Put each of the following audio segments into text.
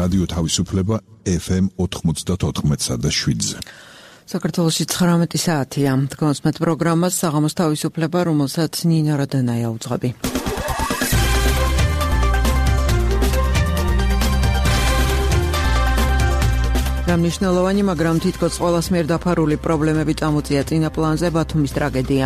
რადიო თავისუფლება FM 94.7-ზე. საქართველოში 19 საათია. Თქვენს პროგრამას საღამოს თავისუფლება, რომელსაც ნინა რადანაია უძღვები. Მნიშვნელოვანი, მაგრამ თითქოს ყველას მიერ დაფარული პრობლემები წამოწია წინა პლანზე ბათუმის ტრაგედია.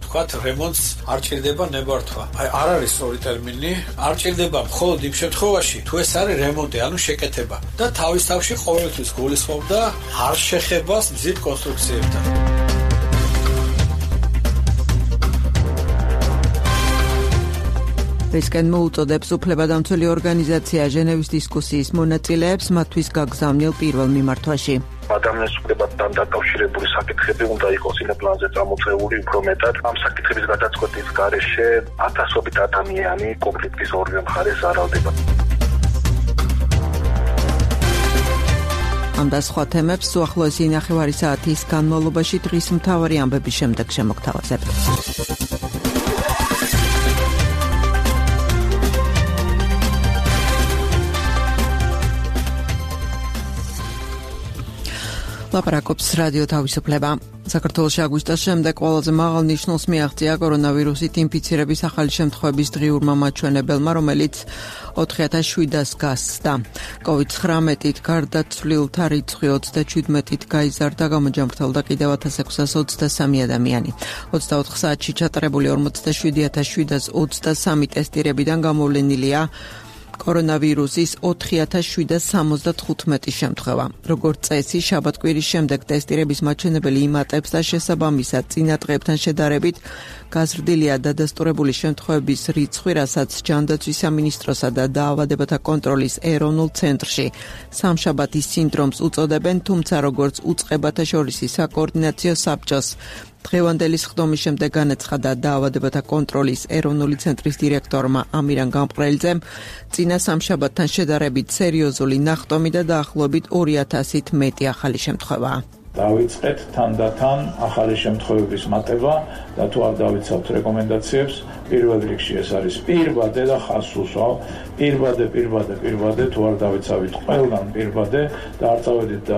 თქვათ რემონტს არ ჭირდება ნებართვა. არ არის სწორი ტერმინი, არ ჭირდება მხოლოდ იმ შემთხვევაში, თუ ეს არის რემონტი, ანუ შეკეთება. და თავის თავში ყოველთვის გულისხმობდა არ შეხებას მზით კონსტრუქციებთან. რისკენ მოუწოდებს უფლებადამცველი ორგანიზაცია ჟენევის დისკუსიის მონაწილეებს მათთვის გაგზავნილ პირველ მიმართვაში. ადამიანის უფლებასთან დაკავშირებული საკითხები უნდა იყოს იმ პლანზე წამოწეული უფრო მეტად. ამ საკითხების გადაწყვეტის გარეშე ათასობით ადამიანი კონფლიქტის ორივე მხარეს ზარალდება. ამ და სხვა თემებს უახლოესი ნახევარი საათის განმავლობაში დღის მთავარი ამბების შემდეგ შემოგთავაზებთ. ლაპარაკობს რადიო თავისუფლება. საქართველოში აგვისტოს შემდეგ ყველაზე მაღალ ნიშნულს მიაღწია კორონავირუსით ინფიცირების ახალი შემთხვევების დღიურმა მაჩვენებელმა, რომელიც 4700-ს გასცდა. COVID-19-ით გარდაცვლილთა რიცხვი 37-ით გაიზარდა, გამოჯამრთელდა კიდევ 1623 ადამიანი. 24 საათში ჩატარებული 47723 ტესტირებიდან გამოვლენილია კორონავირუსის 4775 შემთხვევა. როგორც წესი, შაბათ-კვირის შემდეგ ტესტირების მაჩვენებელი იმატებს და შესაბამისად წინა დღეებთან შედარებით გაზრდილია დადასტურებული შემთხვევების რიცხვი, რასაც ჯანდაცვის სამინისტროსა და დაავადებათა კონტროლის ეროვნულ ცენტრში სამშაბათის სინდრომს უწოდებენ, თუმცა როგორც უწყებათა შორისი საკოორდინაციო საბჭოს დღევანდელი სხდომის შემდეგ განაცხადა დაავადებათა კონტროლის ეროვნული ცენტრის დირექტორმა ამირან გამყრელიძემ, წინა სამშაბათთან შედარებით სერიოზული ნახტომი და დაახლოებით 2000-ით მეტი ახალი შემთხვევაა. დავიწყეთ თანდათან ახალი შემთხვევების მატება და თუ არ დავიცავთ რეკომენდაციებს, პირველ რიგში ეს არის პირბადე და ხაზს უსვავ. პირბადე თუ არ დავიცავით ყველგან პირბადე და არ წავედით და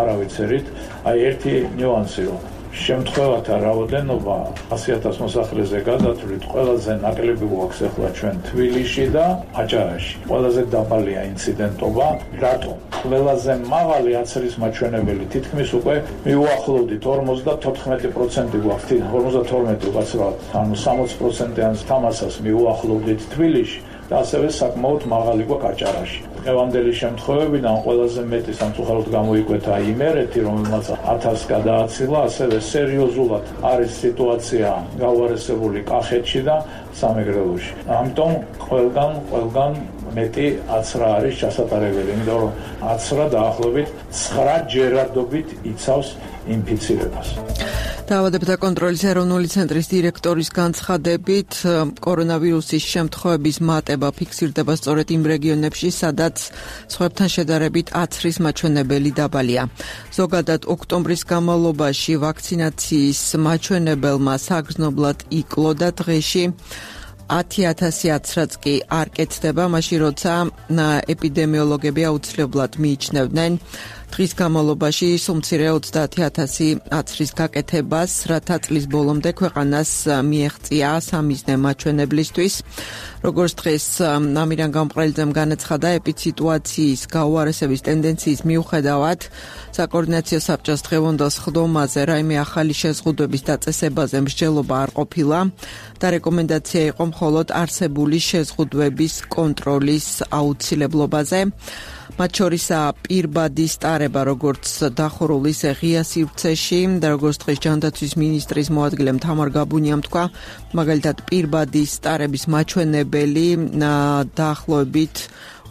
არ ავიცერით, ერთი ნიუანსი რომ შემთხვევათა რაოდენობა 100,000 მოსახლეზე გადათვლით ყველაზე ნაკლები გვაქვს ახლა ჩვენ თბილისში და აჭარაში. ყველაზე დაბალია ინციდენტობა. რატომ? ყველაზე მაღალი აცრის მაჩვენებელი თითქმის უკვე მიუახლოვდით 54% გვაქვს, 52 უკაცრავად, ანუ 60%-იან თამასას მიუახლოვდით თბილისში და ასევე საკმაოდ მაღალი გვაქვს აჭარაში. დღევანდელი შემთხვევებიდან ყველაზე მეტი სამწუხაროდ გამოიკვეთა იმერეთი, რომელმაც 1000 გადააცილა, ასევე სერიოზულად არის სიტუაცია გაუარესებული კახეთში და სამეგრელოში. ამიტომ ყველგან მეტი აცრა არის ჩასატარებელი, იმიტომ რომ აცრა დაახლოებით 9 ჯერადობით იცავს ინფიცირებას. დაავადებათა კონტროლის ეროვნული ცენტრის დირექტორის განცხადებით, კორონავირუსის შემთხვევების მატება ფიქსირდება სწორედ იმ რეგიონებში, სადაც სხვებთან შედარებით აცრის მაჩვენებელი დაბალია. ზოგადად ოქტომბრის განმავლობაში ვაქცინაციის მაჩვენებელმა საგრძნობლად იკლო და დღეში 10,000 აცრაც კი არ კეთდება, მაშინ როცა ეპიდემიოლოგები აუცილებლად მიიჩნევდნენ დღის განმავლობაში სულ მცირე 30,000 აცრის გაკეთებას, რათა წლის ბოლომდე ქვეყანას მიეღწია სამიზნე მაჩვენებლისთვის. როგორც დღეს ამირან გამყრელიძემ განაცხადა, ეპიდსიტუაციის გაუარესების ტენდენციის მიუხედავად, საკოორდინაციო საბჭოს დღევანდელ სხდომაზე რაიმე ახალი შეზღუდვების დაწესებაზე მსჯელობა არ ყოფილა და რეკომენდაცია იყო მხოლოდ არსებული შეზღუდვების კონტროლის აუცილებლობაზე. მათ შორისაა პირბადის ტარება, როგორც დახურულ ისე ღია სივრცეში და როგორც დღეს ჯანდაცვის მინისტრის მოადგილემ თამარ გაბუნიამ თქვა, მაგალითად პირბადის ტარების მაჩვენებელი დაახლოებით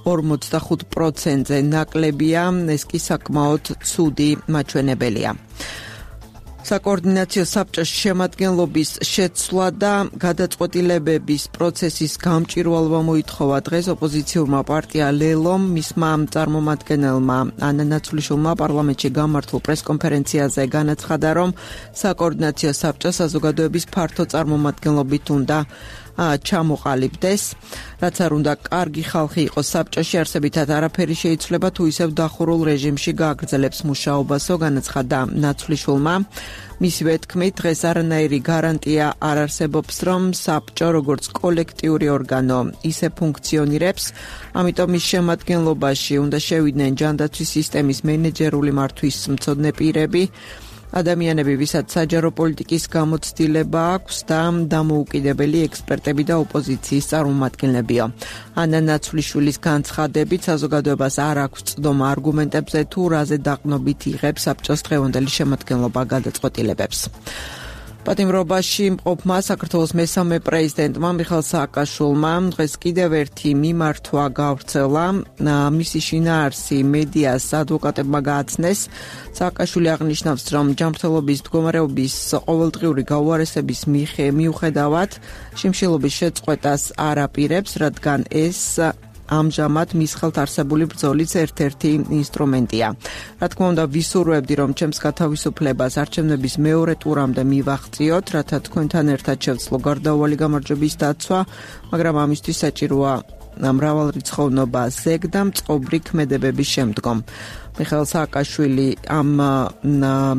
45%-ზე ნაკლებია, ეს კი საკმაოდ ცუდი მაჩვენებელია. საკოორდინაციო საბჭოს შემადგენლობის შეცვლა და გადაწყვეტილებების პროცესის გამჭვირვალობა მოითხოვა დღეს ოპოზიციურმა პარტია ლელომ, მისმა წარმომადგენელმა ანა ნაცვლიშვილმა პარლამენტში გამართულ პრესკონფერენციაზე განაცხადა, რომ საკოორდინაციო საბჭო საზოგადოების ფართო წარმომადგენლობით უნდა ჩამოყალიბდეს. რაც არ უნდა კარგი ხალხი იყოს საბჭოში, არსებითად არაფერი შეიცვლება თუ ისევ დახურულ რეჟიმში გააგრძელებს მუშაობასო, განაცხადა ნაცვლიშვილმა. მისივე თქმით, დღეს არანაირი გარანტია არ არსებობს, რომ საბჭო როგორც კოლექტიური ორგანო ისე ფუნქციონირებს, ამიტომ მის შემადგენლობაში უნდა შევიდნენ ჯანდაცვის სისტემის მენეჯერული მართვის მცოდნე პირები, ადამიანები, ვისაც საჯარო პოლიტიკის გამოცდილება აქვს და დამოუკიდებელი ექსპერტები და ოპოზიციის წარმომადგენლებია. ანა ნაცვლიშვილის განცხადებით საზოგადოებას არ აქვს წდომა არგუმენტებზე თუ რაზე დაყრდნობით იღებს საბჭოს დღევანდელი შემადგენლობა გადაწყვეტილებებს. პატიმრობაში მყოფმა საქართველოს მესამე პრეზიდენტმა მიხეილ სააკაშვილმა დღეს კიდევ ერთი მიმართვა გავრცელა. მისი შინაარსი მედიას ადვოკატებმა გააცნეს. სააკაშვილი აღნიშნავს, რომ ჯანმრთელობის მდგომარეობის ყოველდღიური გაუარესების მიუხედავად შიმშილობის შეწყვეტას არ აპირებს, რადგან ეს ამჟამად მის ხელთ არსებული ბრძოლის ერთ-ერთი ინსტრუმენტია. რა თქმა უნდა, ვისურვებდი, რომ ჩემს გათავისუფლებას არჩევნების მეორე ტურამდე მივაღწიოთ, რათა თქვენთან ერთად შევძლო გარდაუვალი გამარჯვების დაცვა, მაგრამ ამისთვის საჭიროა მრავალრიცხოვნობა ზეგ და მწყობრი ქმედებების შემდგომ. მიხეილ სააკაშვილი ამ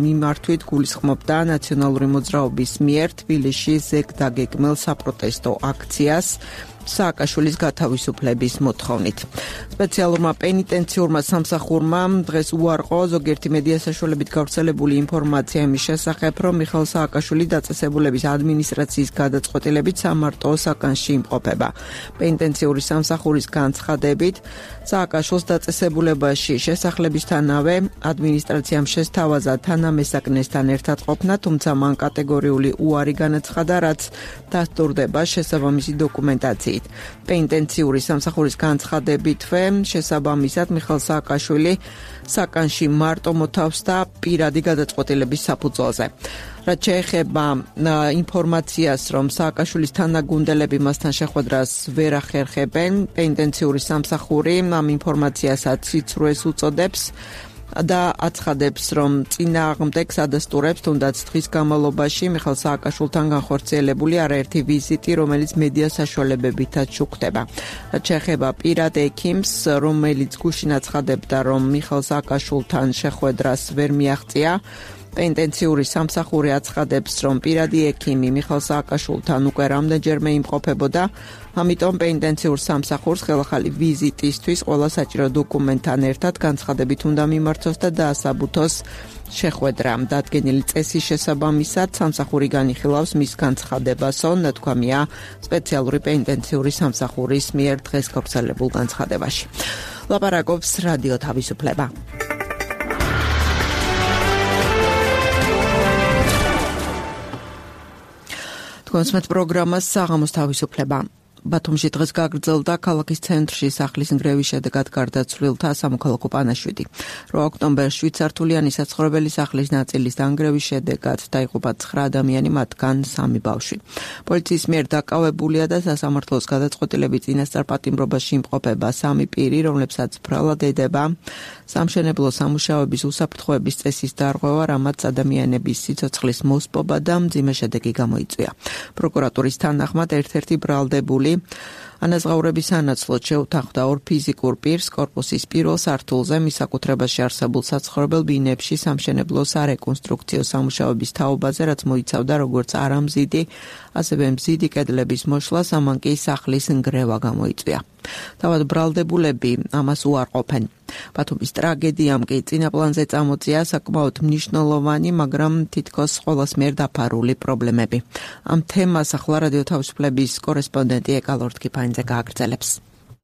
მიმართვით გულისხმობდა ნაციონალური მოძრაობის მიერ თბილისში ზეგ დაგეგმილ საპროტესტო აქციას სააკაშვილის გათავისუფლების მოთხოვნით. სპეციალურმა პენიტენციურმა სამსახურმა დღეს უარყო ზოგიერთი მედია საშუალებით გავრცელებული ინფორმაცია იმის შესახებ, რომ მიხეილ სააკაშვილი დაწესებულების ადმინისტრაციის გადაწყვეტილებით სამარტო საკანში იმყოფება. პენიტენციური სამსახურის განცხადებით, სააკაშვილს დაწესებულებაში შესახლებისთანავე ადმინისტრაციამ შესთავაზა თანამესაკნესთან ერთად ყოფნა, თუმცა მან კატეგორიული უარი განაცხადა, რაც დასტურდება შესაბამისი დოკუმენტაციით. პენიტენციური სამსახურის განცხადებითვე შესაბამისად მიხეილ სააკაშვილი საკანში მარტო მოთავს და პირადი გადაწყვეტილების საფუძველზე. რაც შეეხება ინფორმაციას, რომ სააკაშვილის თანაგუნდელები მასთან შეხვედრას ვერ ახერხებენ, პენიტენციური სამსახური ამ ინფორმაციასაც სიცრუეს უწოდებს და აცხადებს, რომ წინააღმდეგს ადასტურებს თუნდაც დღის განმავლობაში მიხეილ სააკაშვილთან განხორციელებული არაერთი ვიზიტი, რომელიც მედია საშუალებებითაც შუქდება. რაც შეეხება პირად ექიმს, რომელიც გუშინ აცხადებდა, რომ მიხეილ სააკაშვილთან შეხვედრას ვერ მიაღწია, პენიტენციური სამსახური აცხადებს, რომ პირადი ექიმი მიხეილ სააკაშვილთან უკვე რამდენჯერმე იმყოფებოდა, ამიტომ პენიტენციურ სამსახურს ხელახალი ვიზიტისთვის ყველა საჭირო დოკუმენტთან ერთად განცხადებით უნდა მიმართოს და დაასაბუთოს შეხვედრა. დადგენილი წესის შესაბამისად სამსახური განიხილავს მის განცხადებასო, ნათქვამია სპეციალური პენიტენციური სამსახურის მიერ დღეს გავრცელებულ განცხადებაში. ლაპარაკობს რადიო თავისუფლება. კონსმეთ პროგრამას საღამოს თავისუფლება. ბათუმში დღეს გაგრძელდა ქალაქის ცენტრში სახლის ნგრევის შედეგად გარდაცვლილთა სამოქალაქო პანაშვიდი. 8 ოქტომბერს 7 სართულიანი საცხოვრებელი სახლის ნაწილის დანგრევის შედეგად დაიღუპა 9 ადამიანი, მათგან 3 ბავშვი. პოლიციის მიერ დაკავებულია და სასამართლოს გადაწყვეტილებით წინასწარ პატიმრობაში იმყოფება 3 პირი, რომლებსაც ბრალად ედება სამშენებლო სამუშაოების უსაფრთხოების წესის დარღვევა, რამაც ადამიანების სიცოცხლის მოსპობა და მძიმე შედეგი გამოიწვია. პროკურატურის თანახმად ერთ-ერთი ბრალდებული ანაზღაურების სანაცვლოდ შეუთანხმდა 2 ფიზიკურ პირს კორპუსის პირველ სართულზე მის საკუთრებაში არსებულ საცხოვრებელ ბინებში სამშენებლო სარეკონსტრუქციო სამუშაოების თაობაზე, რაც მოიცავდა როგორც არამზიდი, ასევე მზიდი კედლების მოშლას, ამან კი სახლის ნგრევა გამოიწვია. თავად ბრალდებულები ამას უარყოფენ. ბათუმის ტრაგედიამ კი წინაპლანზე წამოწია საკმაოდ მნიშვნელოვანი, მაგრამ თითქოს ყოველს მიერ დაფარული პრობლემები. ამ თემას ახლა რადიო თავისუფლების კორესპონდენტი ეკალორდ კიფაინძე გააგრძელებს.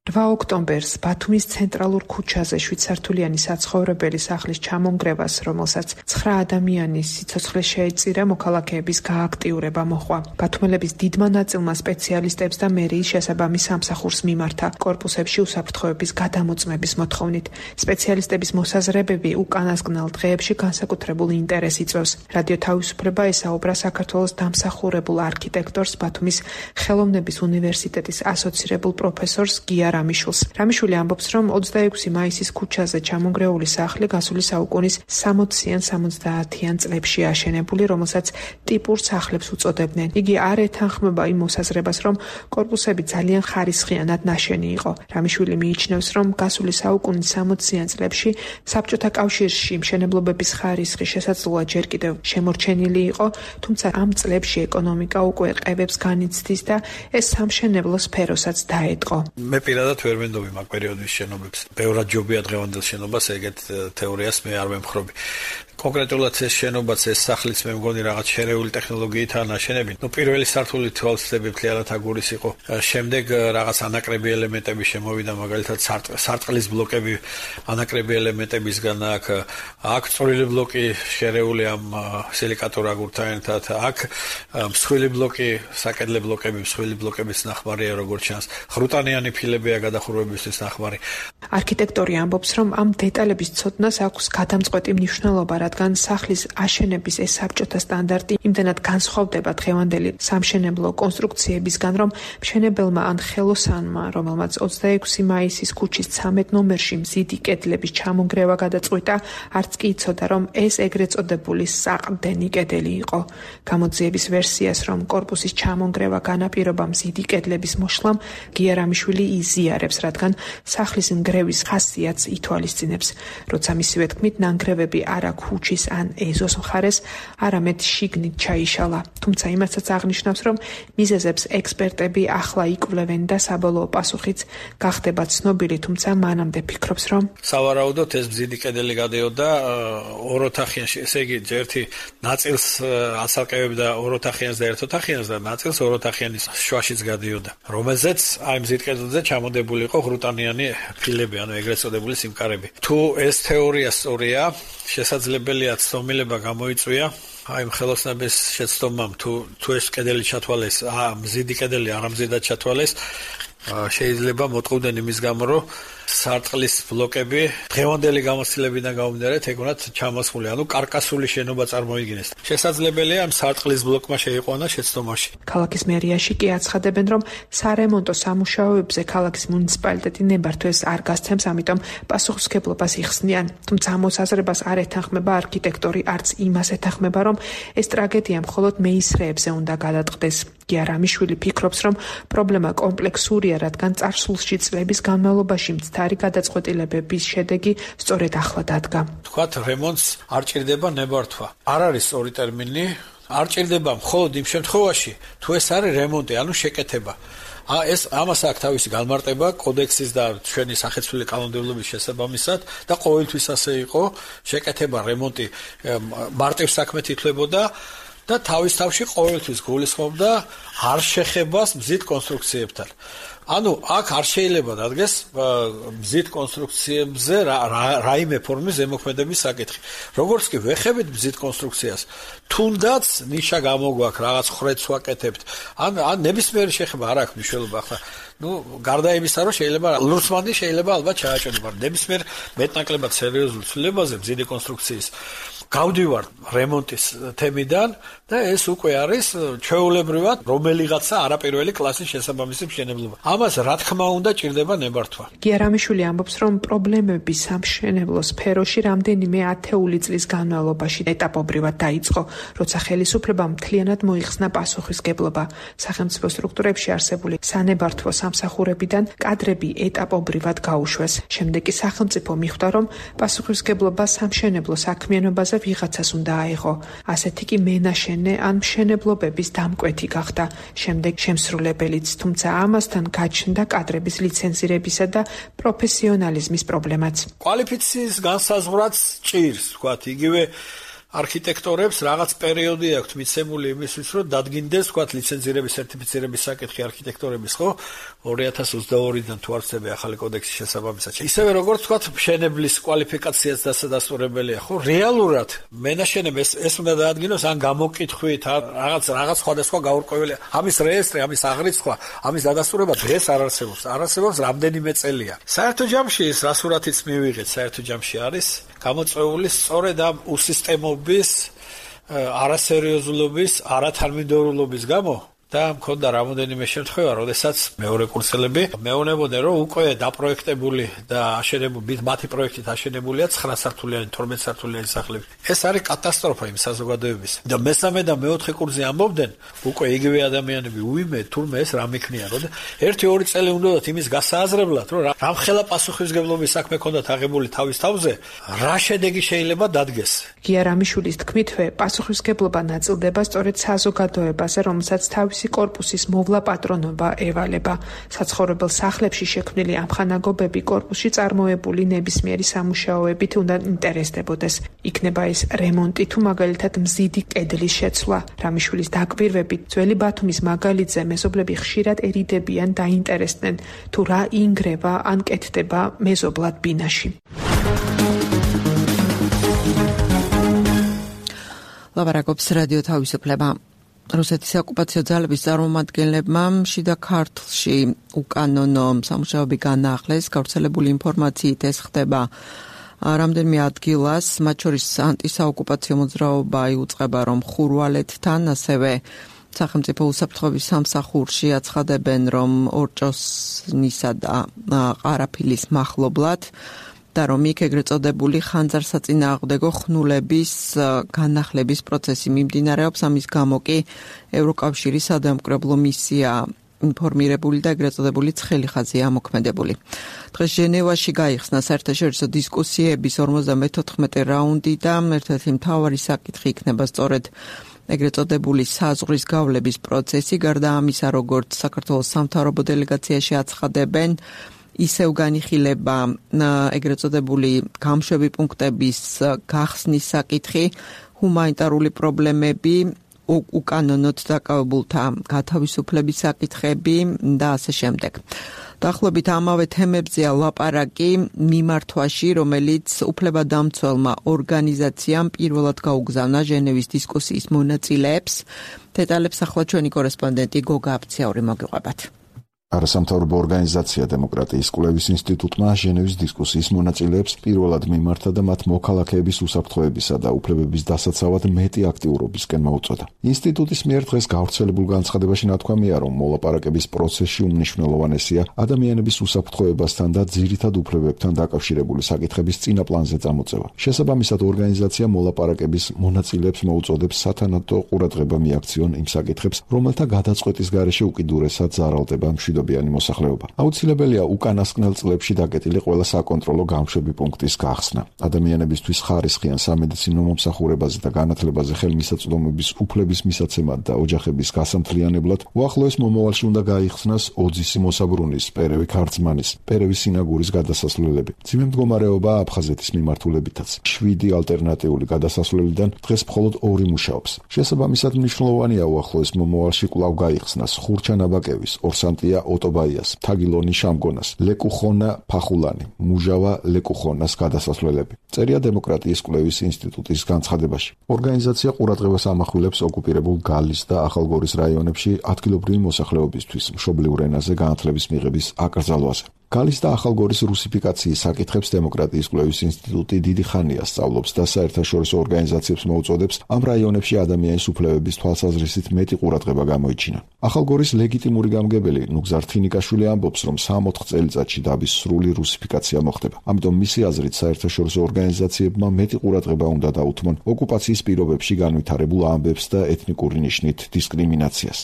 8 ოქტომბერს ბათუმის ცენტრალურ ქუჩაზე 7 სართულიანი საცხოვრებელი სახლის ჩამონგრევას, რომელსაც 9 ადამიანის სიცოცხლე შეეწირა, მოქალაქეების გააქტიურება მოჰყვა. ბათუმელების დიდმა ნაწილმა სპეციალისტებს და მერიის შესაბამის სამსახურს მიმართა კორპუსებში უსაფრთხოების გადამოწმების მოთხოვნით. სპეციალისტების მოსაზრებები უკანასკნელ დღეებში განსაკუთრებულ ინტერესს იწვევს. რადიო თავისუფლება ესაუბრა საქართველოს დამსახურებულ არქიტექტორს, ბათუმის ხელოვნების უნივერსიტეტის ასოცირებულ პროფესორს გია რამიშულს. რამიშვილი ამბობს, რომ 26 მაისის ქუჩაზე ჩამონგრეული სახლი გასული საუკუნის 60-ან 70-იან წლებში აშენებული, რომელსაც ტიპურ სახლებს უწოდებდნენ. იგი არ ეთანხმება იმ მოსაზრებას, რომ კორპუსები ძალიან ხარისხიანად ნაშენი იყო. რამიშვილი მიიჩნევს, რომ გასული საუკუნის 60-იან წლებში საბჭოთა კავშირში მშენებლობების ხარისხი შესაძლოა ჯერ კიდევ შემორჩენილი იყო, თუმცა ამ წლებში ეკონომიკა უკვე ყებებს განიცდის და ეს სამშენებლო სფეროსაც დაეტყო. მე პირადად ვერ ვენდობი მაგ პერიოდის შენობებს. ბევრად ჯობია დღევანდელ შენობას ეგეთ თეორიას მე არ ვემხრობი. კონკრეტულად ეს შენობაც ეს სახლიც მე მგონი რაღაც შერეული ტექნოლოგიითაა ნაშენები. პირველი სართული თვალსწრები მთლიანად აგურის იყო. შემდეგ რაღაც ანაკრები ელემენტები შემოვიდა, მაგალითად სარტყლის ბლოკები ანაკრები ელემენტებისგან აქ წვრილი ბლოკი შერეული ამ სილიკატურ აგურთან ერთად, აქ მსხვილი ბლოკი, საკედლე ბლოკები, მსხვილი ბლოკების ნახმარია, როგორც ჩანს. ხრუტანიანი ფილებია გადახურვებისთვის ნახმარი. არქიტექტორი ამბობს, რომ ამ დეტალების ცოდნას აქვს გადამწყვეტი მნიშვნელობა, რადგან სახლის აშენების ეს საბჭოთა სტანდარტი იმდენად განსხვავდება დღევანდელი სამშენებლო კონსტრუქციებისგან, რომ მშენებელმა ან ხელოსანმა, რომელმაც 26 მაისის ქუჩის 13 ნომერში მზიდი კედლების ჩამონგრევა გადაწყვიტა, არც კი იცოდა, რომ ეს ეგრეთ წოდებული საყრდენი კედელი იყო. გამოძიების ვერსიას, რომ კორპუსის ჩამონგრევა განაპირობა მზიდი კედლების მოშლამ, გია რამიშვილი იზიარებს, რადგან სახლის ნგრევის ხასიათს ითვალისწინებს. როცა მისივე თქმით, ნანგრევები არა ქუჩის ან ეზოს მხარეს, არამედ შიგნით ჩაიშალა. თუმცა იმასაც აღნიშნავს, რომ მიზეზებს ექსპერტები ახლა იკვლევენ და საბოლოო პასუხიც გახდება ცნობილი, თუმცა მანამდე ფიქრობს, რომ სავარაუდოდ ეს მზიდი კედელი გადიოდა ოროთახიანში, ესე იგი ერთი ნაწილს ასალკევებდა ოროთახიანს და ერთოთახიანს და ნაწილს ოროთახიანის შუაშიც გადიოდა, რომელზეც აი მზიდ კედელზე ჩამოდებული იყო ხრუტანიანი ფილები, ანუ ეგრეთ წოდებული სიმკარები. თუ ეს თეორია სწორია, შესაძლებელია ცნობილება გამოიწვია აი ხელოსნების შეცდომამ, თუ ეს კედელი ჩათვალეს, მზიდი კედელი არამზიდად ჩათვალეს, შეიძლება მოტყუდნენ იმის გამო, რომ სარტყლის ბლოკები დღევანდელი გამოცდილებიდან გამომდინარე ეგონათ ჩამოსხული, ანუ კარკასული შენობა წარმოიდგინეს. შესაძლებელია ამ სარტყლის ბლოკმა შეიყვანა შეცდომაში. ქალაქის მერიაში კი აცხადებენ, რომ სარემონტო სამუშაოებზე ქალაქის მუნიციპალიტეტი ნებართვეს არ გასცემს, ამიტომ პასუხისმგებლობას იხსნიან. თუმცა ამ მოსაზრებას არ ეთანხმება არქიტექტორი, არც იმას ეთანხმება, რომ ეს ტრაგედია მხოლოდ მეისრეებზე უნდა გადატყდეს. გია რამიშვილი ფიქრობს, რომ პრობლემა კომპლექსურია, რადგან წარსულში წლების განმავლობაში მცდარი გადაწყვეტილებების შედეგი სწორედ ახლა დადგა. თქვათ, რემონტს არ ჭირდება ნებართვა. არ არის სწორი ტერმინი, არ ჭირდება მხოლოდ იმ შემთხვევაში, თუ ეს არის რემონტი, ანუ შეკეთება. ეს ამას აქვს თავისი განმარტება კოდექსის და ჩვენი სახეცვლილი კანონმდებლობის შესაბამისად და ყოველთვის ასე იყო, შეკეთება, რემონტი მარტივ საქმედ ითვლებოდა და თავის თავში ყოველთვის გულისხმობდა არ შეხებას მზით კონსტრუქციებთან. ანუ აქ არ შეიძლება დადგეს მზით კონსტრუქციებზე რაიმე ფორმის ზემოქმედების საკითხი. როგორც კი ვეხებით მზით კონსტრუქციას, თუნდაც ნიშა გამოგვაქვს, რაღაც ხრეთს ვაკეთებთ, ან ნებისმიერი შეხება არ აქვს მნიშვნელობა ახლა. გარდა იმისა, რომ შეიძლება ლურსმანი შეიძლება ალბათ ჩააჭეროს, მაგრამ ნებისმიერ მეტნაკლებად სერიოზულ ცვლილებაზე მზიდი კონსტრუქციის გავდივარ რემონტის თემიდან და ეს უკვე არის ჩვეულებრივად რომელიღაცა არაპირველი კლასის შესაბამისი მშენებლობა. ამას რა თქმა უნდა ჭირდება ნებართვა. გია რამიშვილი ამბობს, რომ პრობლემები სამშენებლო სფეროში რამდენიმე ათეული წლის განმავლობაში ეტაპობრივად დაიწყო, როცა ხელისუფლებამ მთლიანად მოიხსნა პასუხისმგებლობა. სახელმწიფო სტრუქტურებში არსებული სანებართვო სამსახურებიდან კადრები ეტაპობრივად გაუშვეს. შემდეგ კი სახელმწიფო მიხვდა, რომ პასუხისმგებლობა სამშენებლო საქმიანობაზე ვიღაცას უნდა აიღო. ასეთი კი მენაშენე ან მშენებლობების დამკვეთი გახდა. შემდეგ შემსრულებელიც, თუმცა ამასთან გაჩნდა კადრების ლიცენზირებისა და პროფესიონალიზმის პრობლემაც. კვალიფიციის განსაზღვრაც ჭირს, ვთქვათ, იგივე არქიტექტორებს რაღაც პერიოდი აქვთ მიცემული იმისთვის, რომ დადგინდეს, ვთქვათ, ლიცენზირების, სერტიფიცირების საკითხი არქიტექტორების, ხო? 2022-დან თუ არ ვცდები ახალი კოდექსის შესაბამისად. ისევე როგორც, ვთქვათ, მშენებლის კვალიფიკაციაც დასადასტურებელია, ხო? რეალურად მენაშენებს ეს უნდა დაადგინოს ან გამოკითხვით, რაღაც სხვადასხვა გაურკვეველი, ამის რეესტრი, ამის აღრიცხვა, ამის დადასტურება დღეს არ არსებობს. არ არსებობს რამდენიმე წელია. საერთო ჯამში ეს რა სურათიც მივიღეთ, საერთო ჯამში არის გამოწვეული სწორედ ამ უსისტემობის, არასერიოზულობის, არათარმიდორულობის გამო და მქონდა რამოდენიმე შემთხვევა, როდესაც მეორე კურსელები მეუბნებოდნენ, რომ უკვე დაპროექტებული და აშენებული მათი პროექტით აშენებულია 9 სართულიანი, 12 სართულიანი სახლები. ეს არის კატასტროფა იმ საზოგადოების. და მესამე და მეოთხე კურსზე ამბობდნენ, უკვე იგივე ადამიანები, უიმე, თურმე ეს რამ იქნია, რომ 1-2 წელი უნდათ იმის გასააზრებლად, რომ რამხელა პასუხისმგებლობის საქმე ქონდათ აღებული თავის თავზე, რა შედეგი შეიძლება დადგეს. გია რამიშვილის თქმითვე, პასუხისმგებლობა ნაწილდება სწორედ საზოგადოებაზე, რომელსაც თავისი კორპუსის მოვლა პატრონობა ევალება. საცხოვრებელ სახლებში შექმნილი ამხანაგობები კორპუსში წარმოებული ნებისმიერი სამუშაოებით უნდა ინტერესდებოდეს. იქნება ეს რემონტი თუ მაგალითად მზიდი კედლის შეცვლა. რამიშვილის დაკვირვებით, ძველი ბათუმის მაგალითზე მეზობლები ხშირად ერიდებიან და ინტერესდნენ, თუ რა ინგრევა ან კეთდება მეზობლად ბინაში. ლაპარაკობს რადიო თავისუფლება. რუსეთის ოკუპაციო ძალების წარმომადგენლებმა შიდა ქართლში უკანონო სამუშაოები განაახლეს. გავრცელებული ინფორმაციით ეს ხდება რამდენიმე ადგილას, მათ შორის ანტისაოკუპაციო მოძრაობა იუწყება, რომ ხურვალეთთან, ასევე სახელმწიფო უსაფრთხოების სამსახურში აცხადებენ, რომ ორჭოსნისა და ყარაფილის მახლობლად და რომ იქ ეგრეთ წოდებული ხანძარსაწინააღმდეგო ხნულების განახლების პროცესი მიმდინარეობს. ამის გამო კი ევროკავშირის სადამკვირვებლო მისია ინფორმირებული და ეგრეთ წოდებული ცხელი ხაზია ამოქმედებული. დღეს ჟენევაში გაიხსნა საერთაშორისო დისკუსიების 54 რაუნდი და ერთ-ერთი მთავარი საკითხი იქნება სწორედ ეგრეთ წოდებული საზღვრის გავლების პროცესი. გარდა ამისა, როგორც საქართველოს სამთავრობო დელეგაციაში აცხადებენ, ისევ განიხილება ეგრეთ წოდებული გამშვები პუნქტების გახსნის საკითხი, ჰუმანიტარული პრობლემები, უკანონოდ დაკავებულთა გათავისუფლების საკითხები და ასე შემდეგ. დაახლოებით ამავე თემებზეა ლაპარაკი მიმართვაში, რომელიც უფლებადამცველმა ორგანიზაციამ პირველად გაუგზავნა ჟენევის დისკუსიის მონაწილეებს. დეტალებს ახლა ჩვენი კორესპონდენტი გოგა აფციური მოგიყვებათ. არასამთავრობო ორგანიზაცია დემოკრატიის კვლევის ინსტიტუტმა ჟენევის დისკუსიის მონაწილეებს პირველად მიმართა და მათ მოქალაქეების უსაფრთხოებისა და უფლებების დასაცავად მეტი აქტიურობისკენ მოუწოდა. ინსტიტუტის მიერ დღეს გავრცელებულ განცხადებაში ნათქვამია, რომ მოლაპარაკების პროცესში უმნიშვნელოვანესია ადამიანების უსაფრთხოებასთან და ძირითად უფლებებთან დაკავშირებული საკითხების წინა პლანზე წამოწევა. შესაბამისად, ორგანიზაცია მოლაპარაკების მონაწილეებს მოუწოდებს სათანადო ყურადღება მიაქციონ იმ საკითხებს, რომელთა გადაწყვეტის გარეშე უკიდურესად ზარალდება მშვიდობიანი მოსახლეობა. აუცილებელია უკანასკნელ წლებში დაკეტილი ყველა საკონტროლო გამშვები პუნქტის გახსნა. ადამიანებისთვის ხარისხიან სამედიცინო მომსახურებაზე და განათლებაზე ხელმისაწვდომობის უფლების მისაცემად და ოჯახების გასამთლიანებლად უახლოეს მომავალში უნდა გაიხსნას ოძისი მოსაბრუნის, პერევი ქარწმანის, პერევი სინაგურის გადასასვლელები. მძიმე მდგომარეობა აფხაზეთის მიმართულებითაც. 7 ალტერნატიული გადასასვლელიდან დღეს მხოლოდ 2 მუშაობს. შესაბამისად, მნიშვნელოვანია უახლოეს მომავალში კვლავ გაიხსნას ხურჩა-ნაბაკევის, ორსანტია ოტობაიას, თაგილონი შამგონას, ლეკუხონა ფახულანი, მუჟავა ლეკუხონას გადასასვლელები. წერია დემოკრატიის კვლევის ინსტიტუტის განცხადებაში. ორგანიზაცია ყურადღებას ამახვილებს ოკუპირებულ გალის და ახალგორის რაიონებში ადგილობრივი მოსახლეობისთვის მშობლიურ ენაზე განათლების მიღების აკრძალვაზე. გალის და ახალგორის რუსიფიკაციის საკითხებს დემოკრატიის კვლევის ინსტიტუტი დიდი ხანია სწავლობს და საერთაშორისო ორგანიზაციებს მოუწოდებს ამ რაიონებში ადამიანის უფლებების თვალსაზრისით მეტი ყურადღება გამოიჩინონ. ახალგორის ლეგიტიმური გამგებელი ნუგზარ თინიკაშვილი ამბობს, რომ 64 წელიწადში დაბის სრული რუსიფიკაცია მოხდება. ამიტომ მისი აზრით საერთაშორისო ორგანიზაციებმა მეტი ყურადღება უნდა დაუთმონ ოკუპაციის პირობებში განვითარებულ ამბებს და ეთნიკური ნიშნით დისკრიმინაციას.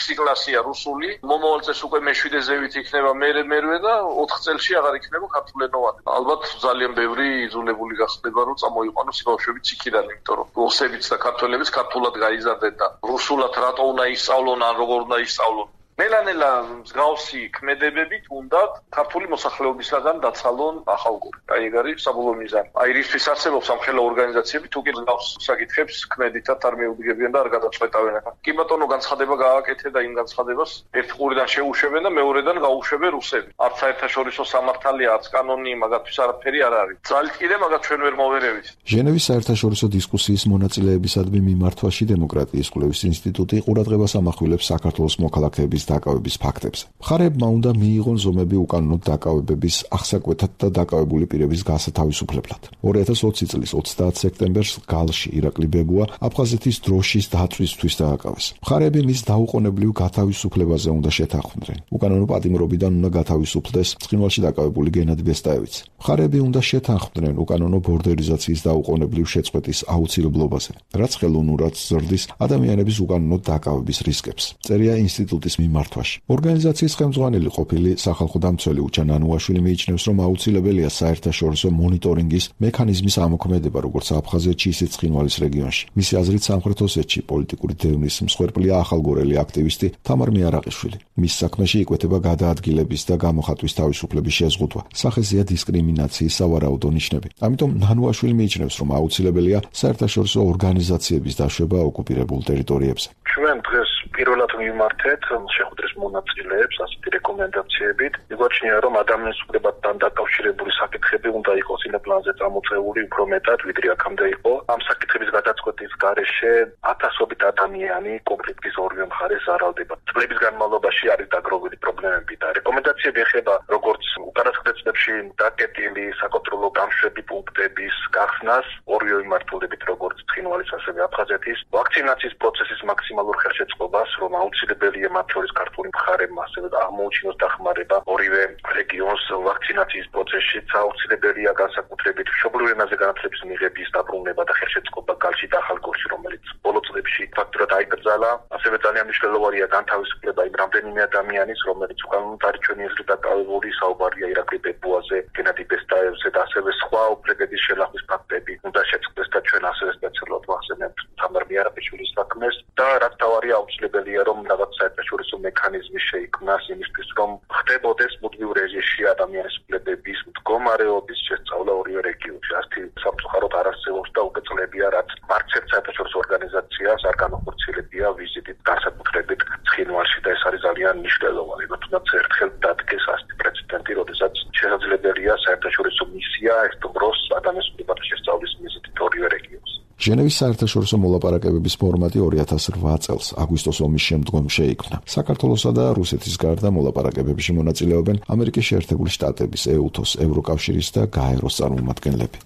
6 კლასია რუსული, მომავალ წელს უკვე მე-7 ზევით იქნება მერე და 4 წელში აღარ იქნება ქართულენოვანი. ალბათ ძალიან ბევრი იძულებული გახდება, რომ წამოიყვანოს ბავშვებიც იქიდან, იმიტომ რომ რუსებიც და ქართველებიც ქართულად გაიზარდნენ და რუსულად რატო უნდა ისწავლონ, ან როგორ უნდა ისწავლონ. ნელა-ნელა მსგავსი ქმედებებით უნდა ქართული მოსახლეობისგან დაცალონ ახალგორი. აი ეგ არის საბოლოო მიზანი. აი რისთვის არსებობს ამ ხელა ორგანიზაციები, თუ კი მსგავს საკითხებს ქმედითად არ მეუდგებიან და არ გადაწყვეტავენ. კი ბატონო, განცხადება გააკეთე და იმ განცხადებას ერთ ყურიდან შეუშვებენ და მეორედან გაუშვებენ რუსები. არც საერთაშორისო სამართალია, არც კანონი მაგათთვის არაფერი არ არის. ძალით კიდე მაგათ ჩვენ ვერ მოვერევით. ჟენევის საერთაშორისო დისკუსიის მონაწილეებისადმი მიმართვაში დემოკრატიის კვლევის ინსტიტუტი ყურადღებას ამახვილებს საქართველოს მოქალაქეების დაკავების ფაქტებზე. მხარეებმა უნდა მიიღონ ზომები უკანონოდ დაკავებების აღსაკვეთად და დაკავებული პირების გასათავისუფლებლად. 2020 წლის 30 სექტემბერს გალში ირაკლი ბეგუა აფხაზეთის დროშის დაწვისთვის დააკავეს. მხარეები მის დაუყოვნებლივ გათავისუფლებაზე უნდა შეთანხმდნენ. უკანონო პატიმრობიდან უნდა გათავისუფლდეს ცხინვალში დაკავებული გენადი ბესტაევიც. მხარეები უნდა შეთანხმდნენ უკანონო ბორდერიზაციის დაუყოვნებლივ შეწყვეტის აუცილებლობაზე, რაც ხელოვნურად ზრდის ადამიანების უკანონოდ დაკავების რისკებს. წერია ინსტიტუტის მიმართვაში. ორგანიზაციის ხელმძღვანელი ყოფილი სახალხო დამცველი უჩან ანუაშვილი მიიჩნევს, რომ აუცილებელია საერთაშორისო მონიტორინგის მექანიზმის ამოქმედება, როგორც აფხაზეთში, ისე ცხინვალის რეგიონში. მისი აზრით, სამხრეთ ოსეთში პოლიტიკური დევნის მსხვერპლია ახალგორელი აქტივისტი თამარ მიარაყიშვილი. მის საქმეში იკვეთება გადაადგილების და გამოხატვის თავისუფლების შეზღუდვა. სახეზეა დისკრიმინაციის სავარაუდო ნიშნები. ამიტომ ანუაშვილი მიიჩნევს, რომ აუცილებელია საერთაშორისო ორგანიზაციების დაშვება ოკუპირებულ ტერიტორიებზე. ჩვენ დღეს პირველად მიმართეთ შეხვედრის მონაწილეებს ასეთი რეკომენდაციებით. მიგვაჩნია, რომ ადამიანის უფლებასთან დაკავშირებული საკითხები უნდა იყოს იმ პლანზე წამოწეული უფრო მეტად, ვიდრე აქამდე იყო. ამ საკითხების გადაწყვეტის გარეშე ათასობით ადამიანი კონფლიქტის ორივე მხარეს ზარალდება. წლების განმავლობაში არის დაგროვილი პრობლემები და რეკომენდაციები ეხება როგორც უკანასკნელ წლებში დაკეტილი საკონტროლო გამშვები პუნქტების გახსნას ორივე მიმართულებით, როგორც ცხინვალის ასევე აფხაზეთის, ვაქცინაციის პროცესის მაქსიმალურ ხელშეწყობას, რომ აუცილებელია მათ შორის ქართული მხარემ ასევე აღმოუჩინოს დახმარება ორივე რეგიონს ვაქცინაციის პროცესშიც, აუცილებელია განსაკუთრებით მშობლიურ ენაზე განათლების მიღების დაბრუნება და ხელშეწყობა გალში და ახალგორში, რომელიც ბოლო წლებში ფაქტურად აიკრძალა. ასევე ძალიან მნიშვნელოვანია განთავისუფლება იმ რამდენიმე ადამიანის, რომელიც უკანონოდ არის ჩვენი ეზრით დაკავებული, საუბარია ირაკლი ბეგუაზე, გენადი ბესტაევზე და ასევე სხვა უფლებების შელახვის ფაქტები უნდა შეწყდეს და ჩვენ ასევე სპეციალურად ვახსენებთ თამარ მიარაყიშვილის საქმეს და რაც თავარია აუცილებელია, რომ რაღაც საერთაშორისო მექანიზმი შეიქმნას იმისთვის, რომ ხდებოდეს მუდმივ რეჟიმში ადამიანის უფლებების მდგომარეობის შესწავლა ორივე რეგიონში. ასეთი სამწუხაროდ არ არსებობს და უკვე წლებია, რაც არც ერთ საერთაშორისო ორგანიზაციას არ განახორციელებია ვიზიტით განსაკუთრებით ცხინვალში და ეს არის ძალიან მნიშვნელოვანი. თუნდაც ერთხელ დადგეს ასეთი პრეცედენტი, როდესაც შესაძლებელია საერთაშორისო მისია ერთდროს ადამიანის უფლებათა შესწავლის მიზნით ორივე რეგიონს. ჟენევის საერთაშორისო მოლაპარაკებების ფორმატი 2008 წელს აგვისტოს ომის შემდგომ შეიქმნა. საქართველოსა და რუსეთის გარდა მოლაპარაკებებში მონაწილეობენ ამერიკის შეერთებული შტატების, EUTOS, ევროკავშირის და გაეროს წარმომადგენლები.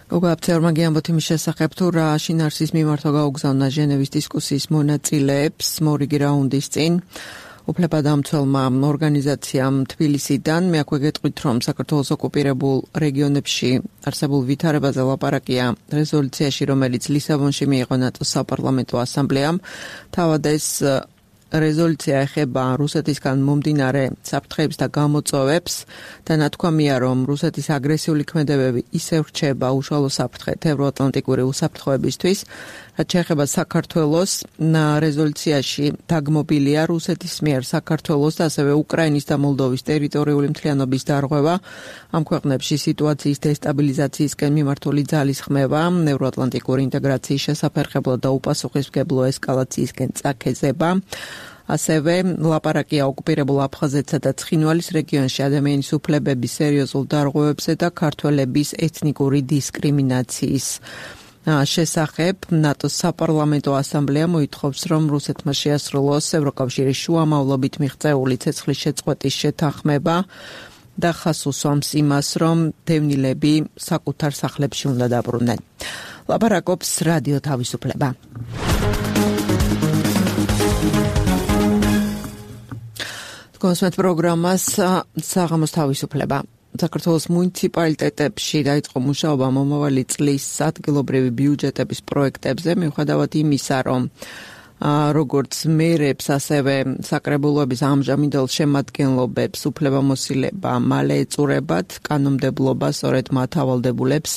გოგოაფცერმა გიამბოთ იმის შესახებ, თუ რა შინაარსის მიმართვა გაუგზავნა ჟენევის დისკუსიის მონაწილეებს მორიგი რაუნდის წინ. უფლებადამცველმა ორგანიზაციამ თბილისიდან მე აქვე გეტყვით, რომ საქართველოს ოკუპირებულ რეგიონებში არსებულ ვითარებაზე ლაპარაკია რეზოლუციაში, რომელიც ლისაბონში მიიღო ნატოს საპარლამენტო ასამბლეამ. თავად ეს რეზოლუცია ეხება რუსეთისგან მომდინარე საფრთხეებს და გამოწვევებს და ნათქვამია, რომ რუსეთის აგრესიული ქმედებები ისევ რჩება უშუალო საფრთხედ ევროატლანტიკური უსაფრთხოებისთვის. რაც შეეხება საქართველოს, რეზოლუციაში დაგმობილია რუსეთის მიერ საქართველოს და ასევე უკრაინის და მოლდოვის ტერიტორიული მთლიანობის დარღვევა, ამ ქვეყნებში სიტუაციის დესტაბილიზაციისკენ მიმართული ძალისხმევა, ევროატლანტიკური ინტეგრაციის შესაფერხებლად და უპასუხისმგებლო ესკალაციისკენ წაქეზება. ასევე ლაპარაკია ოკუპირებულ აფხაზეთსა და ცხინვალის რეგიონში ადამიანის უფლებების სერიოზულ დარღვევებზე და ქართველების ეთნიკური დისკრიმინაციის შესახებ. ნატოს საპარლამენტო ასამბლეა მოითხოვს, რომ რუსეთმა შეასრულოს ევროკავშირის შუამავლობით მიღწეული ცეცხლის შეწყვეტის შეთანხმება და ხაზს უსვამს იმას, რომ დევნილები საკუთარ სახლებში უნდა დაბრუნდნენ. ლაპარაკობს რადიო თავისუფლება. კონსვენთ პროგრამას საღამოს თავისუფლება. საქართველოს მუნიციპალიტეტებში დაიწყო მუშაობა მომავალი წლის ადგილობრივი ბიუჯეტების პროექტებზე, მიუხედავად იმისა, რომ როგორც მერებს, ასევე საკრებულოების ამჟამინდელ შემადგენლობებს უფლებამოსილება მალე ეწურებათ, კანონმდებლობა სწორედ მათ ავალდებულებს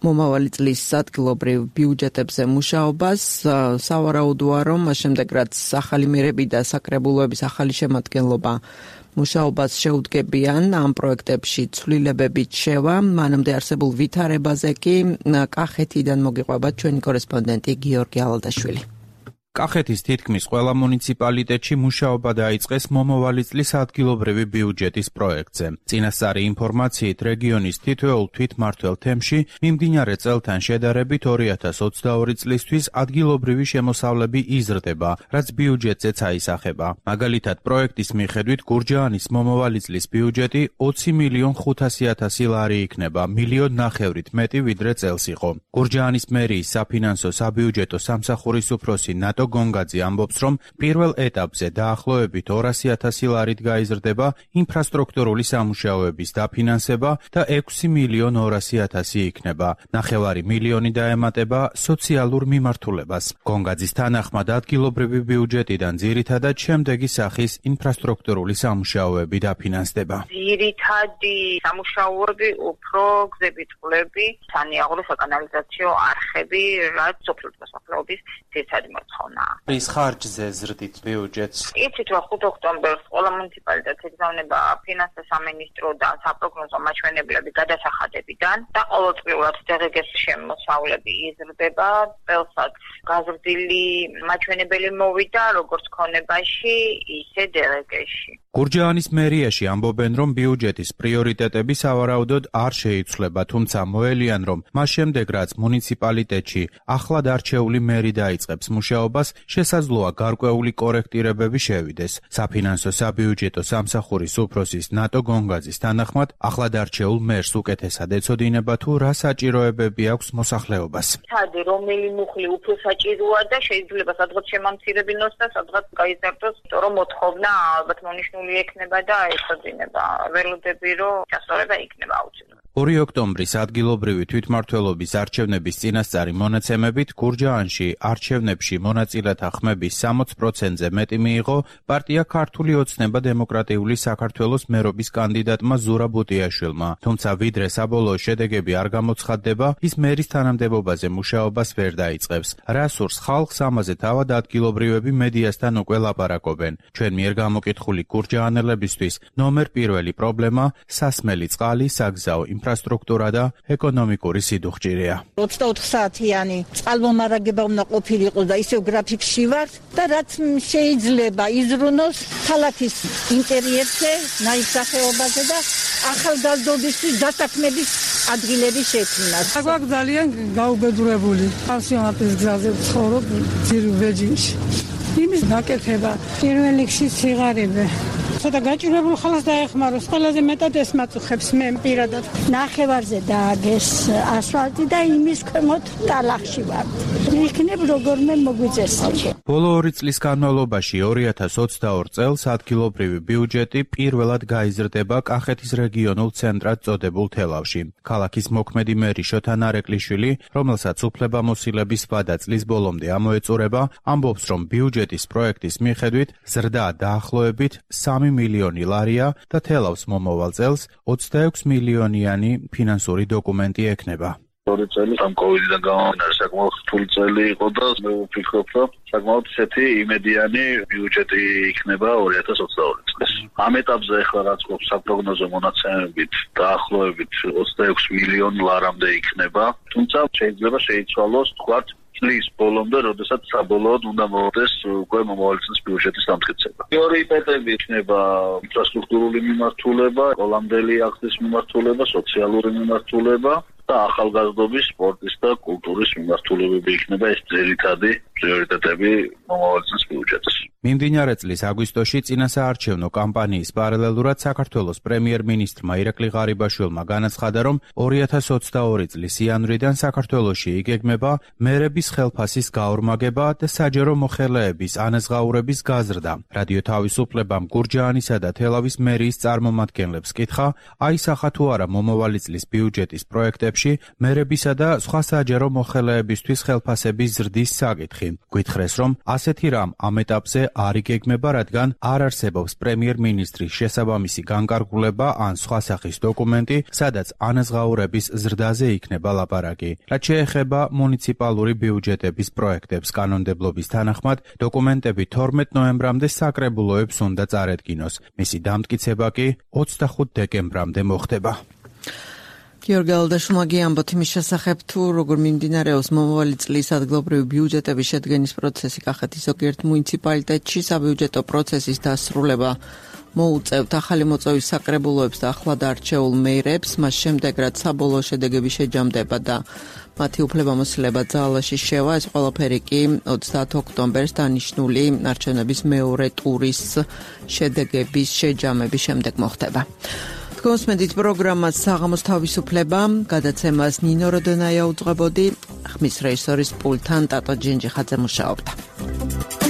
მომავალი წლის ადგილობრივ ბიუჯეტებზე მუშაობას. სავარაუდოა, რომ მას შემდეგ რაც ახალი მერები და საკრებულოების ახალი შემადგენლობა მუშაობას შეუდგებიან, ამ პროექტებში ცვლილებებით შევა. მანამდე არსებულ ვითარებაზე კი კახეთიდან მოგიყვება ჩვენი კორესპონდენტი გიორგი ალადაშვილი. კახეთის თითქმის ყველა მუნიციპალიტეტში მუშაობა დაიწყეს მომავალი წლის ადგილობრივი ბიუჯეტის პროექტზე. წინასწარი ინფორმაციით, რეგიონის თითოეულ თვითმმართველ თემში მიმდინარე წელთან შედარებით 2022 წლისთვის ადგილობრივი შემოსავლები იზრდება, რაც ბიუჯეტზეც აისახება. მაგალითად, პროექტის მიხედვით გურჯაანის მომავალი წლის ბიუჯეტი 20.500.000 ლარი იქნება, 1.5 მილიონით მეტი ვიდრე წელს იყო. გურჯაანის მერიის საფინანსო საბიუჯეტო სამსახურის უფროსი ნატო გონგაძე ამბობს, რომ პირველ ეტაპზე დაახლოებით 200.000 ლარით გაიზრდება ინფრასტრუქტურული სამუშაოების დაფინანსება და 6.200.000 იქნება. 9 მილიონი დაემატება სოციალურ მიმართულებას. გონგაძის თანახმად ადგილობრივი ბიუჯეტიდან ძირითადად შემდეგი სახის ინფრასტრუქტურული სამუშაოები დაფინანსდება. ძირითადი სამუშაოები უფრო გზები, წყლები, სანიაღრო საკანალიზაციო არხები, რაც სოფლის მოსახლეობის ძირითადი მოთხოვნაა. რის ხარჯზე ზრდით ბიუჯეტს? იცით რომ 5 ოქტომბერს ყველა მუნიციპალიტეტს იგზავნება ფინანსთა სამინისტროდან საპროგნოზო მაჩვენებლები გადასახადებიდან და ყოველწლიურად დღეგეს შემოსავლები იზრდება. წელსაც გაზრდილი მაჩვენებელი მოვიდა როგორც ქონებაში, ისე დღეგეში. გურჯაანის მერიაში ამბობენ, რომ ბიუჯეტის პრიორიტეტები სავარაუდოდ არ შეიცვლება, თუმცა მოელიან, რომ მას შემდეგ, რაც მუნიციპალიტეტში ახლად არჩეული მერი დაიწყებს მუშაობას, შესაძლოა გარკვეული კორექტირებები შევიდეს. საფინანსო საბიუჯეტო სამსახურის უფროსის ნატო გონგაძის თანახმად, ახლად არჩეულ მერს უკეთესად ეცოდინება თუ რა საჭიროებები აქვს მოსახლეობას. სადი რომელი მუხლი უფრო საჭიროა და შეიძლება სადღაც შემამცირებინოს და სადღაც გაიზარდოს, რომ მოთხოვნა ალბათ მონიშნული ექნება და ეცოდინება. ველოდები რომ გასწორება იქნება აუცილებლად. 2 ოქტომბრის ადგილობრივი თვითმმართველობის არჩევნების წინასწარი მონაცემებით გურჯაანში არჩევნებში მონაწილეთა ხმების 60%-ზე მეტი მიიღო პარტია ქართული ოცნება დემოკრატიული საქართველოს მერობის კანდიდატმა ზურა ბუტიაშვილმა. თუმცა ვიდრე საბოლოო შედეგები არ გამოცხადდება, ის მერის თანამდებობაზე მუშაობას ვერ დაიწყებს. რა სურს ხალხს, ამაზე თავად ადგილობრივები მედიასთან უკვე ლაპარაკობენ. ჩვენ მიერ გამოკითხული გურჯაანელებისთვის ნომერ პირველი პრობლემა სასმელი წყალი, საგზაო ინფრასტრუქტურა და ეკონომიკური სიდუხჭირია. 24 საათიანი წყალმომარაგება უნდა ყოფილიყო და ისევ გრაფიკში ვარ და რაც შეიძლება იზრუნოს ქალაქის ინტერიერზე, ნაირსახეობაზე და ახალგაზრდობისთვის დასაქმების ადგილების შექმნას. აგვაქვს ძალიან გაუბედურებული. პანსიონატის გზაზე ვცხოვრობ ძირვეჯინში. იმის გაკეთება პირველ რიგში სიღარიბე. ცოტა გაჭირებულ ხალხს დაეხმაროს, ყველაზე მეტად ეს მაწუხებს მე პირადად. ნახევარზე დააგეს ასფალტი და იმის ქვემოთ ტალახში ვარ. იქნებ როგორმე მოგვიწესრიგე. ბოლო 2 წლის განმავლობაში 2022 წელს ადგილობრივი ბიუჯეტი პირველად გაიზრდება კახეთის რეგიონულ ცენტრად წოდებულ თელავში. ქალაქის მოქმედი მერი შოთა ნარეკვლიშვილი, რომელსაც უფლებამოსილების ვადა წლის ბოლომდე ამოეწურება, ამბობს, რომ ბიუჯეტის პროექტის მიხედვით ზრდა დაახლოებით 3 მილიონი ლარია და თელავს მომავალ წელს 26 მილიონიანი ფინანსური დოკუმენტი ექნება. 2 წელი ამ კოვიდიდან გამომდინარე საკმაოდ რთული წელი იყო და მე ვფიქრობ, რომ საკმაოდ ისეთი იმედიანი ბიუჯეტი იქნება 2022 წელს. ამ ეტაპზე ახლა რაც გვაქვს საპროგნოზო მონაცემებით დაახლოებით 26 მილიონ ლარამდე იქნება, თუმცა შეიძლება შეიცვალოს თქვათ წლის ბოლომდე, როდესაც საბოლოოდ უნდა მოხდეს უკვე მომავალი წლის ბიუჯეტის დამტკიცება. პრიორიტეტები იქნება ინფრასტრუქტურული მიმართულება, კოლამდელი ახდის მიმართულება, სოციალური მიმართულება და ახალგაზრდობის, სპორტის და კულტურის მიმართულებები იქნება ეს ძირითადი პრიორიტეტები მომავალი წლის ბიუჯეტის. მიმდინარე წლის აგვისტოში წინასაარჩევნო კამპანიის პარალელურად საქართველოს პრემიერ-მინისტრმა ირაკლი ღარიბაშვილმა განაცხადა, რომ 2022 წლის იანვრიდან საქართველოში იგეგმება მერების ხელფასის გაორმაგება და საჯარო მოხელეების ანაზღაურების გაზრდა. რადიო თავისუფლებამ გურჯაანისა და თელავის მერიის წარმომადგენლებს კითხა, აისახა თუ არა მომავალი წლის ბიუჯეტის პროექტებში მერებისა და სხვა საჯარო მოხელეებისთვის ხელფასების ზრდის საკითხი. გვითხრეს, რომ ასეთი რამ ამ ეტაპზე არ იგეგმება, რადგან არ არსებობს პრემიერ-მინისტრის შესაბამისი განკარგულება ან სხვა სახის დოკუმენტი, სადაც ანაზღაურების ზრდაზე იქნება ლაპარაკი. რაც შეეხება მუნიციპალური ბიუჯეტების პროექტებს კანონმდებლობის თანახმად, დოკუმენტები 12 ნოემბრამდე საკრებულოებს უნდა წარედგინოს. მისი დამტკიცება კი 25 დეკემბრამდე მოხდება. გიორგი ალდაშუმაგი ამბობთ იმის შესახებ, თუ როგორ მიმდინარეობს მომავალი წლის ადგილობრივი ბიუჯეტების შედგენის პროცესი კახეთის ზოგიერთ მუნიციპალიტეტში. საბიუჯეტო პროცესის დასრულება მოუწევთ ახალი მოწვევის საკრებულოებს და ახლად არჩეულ მეირებს, მას შემდეგ რაც საბოლოო შედეგები შეჯამდება და მათი უფლებამოსილება ძალაში შევა, ეს ყველაფერი კი 30 ოქტომბერს დანიშნული არჩევნების მეორე ტურის შედეგების შეჯამების შემდეგ მოხდება. გოსმედით პროგრამას საღამოს თავისუფლება, გადაცემას ნინო როდონაია უძღვებოდი, ხმის რეჟისორის პულტთან ტატო ჯინჯიხაძე მუშაობდა.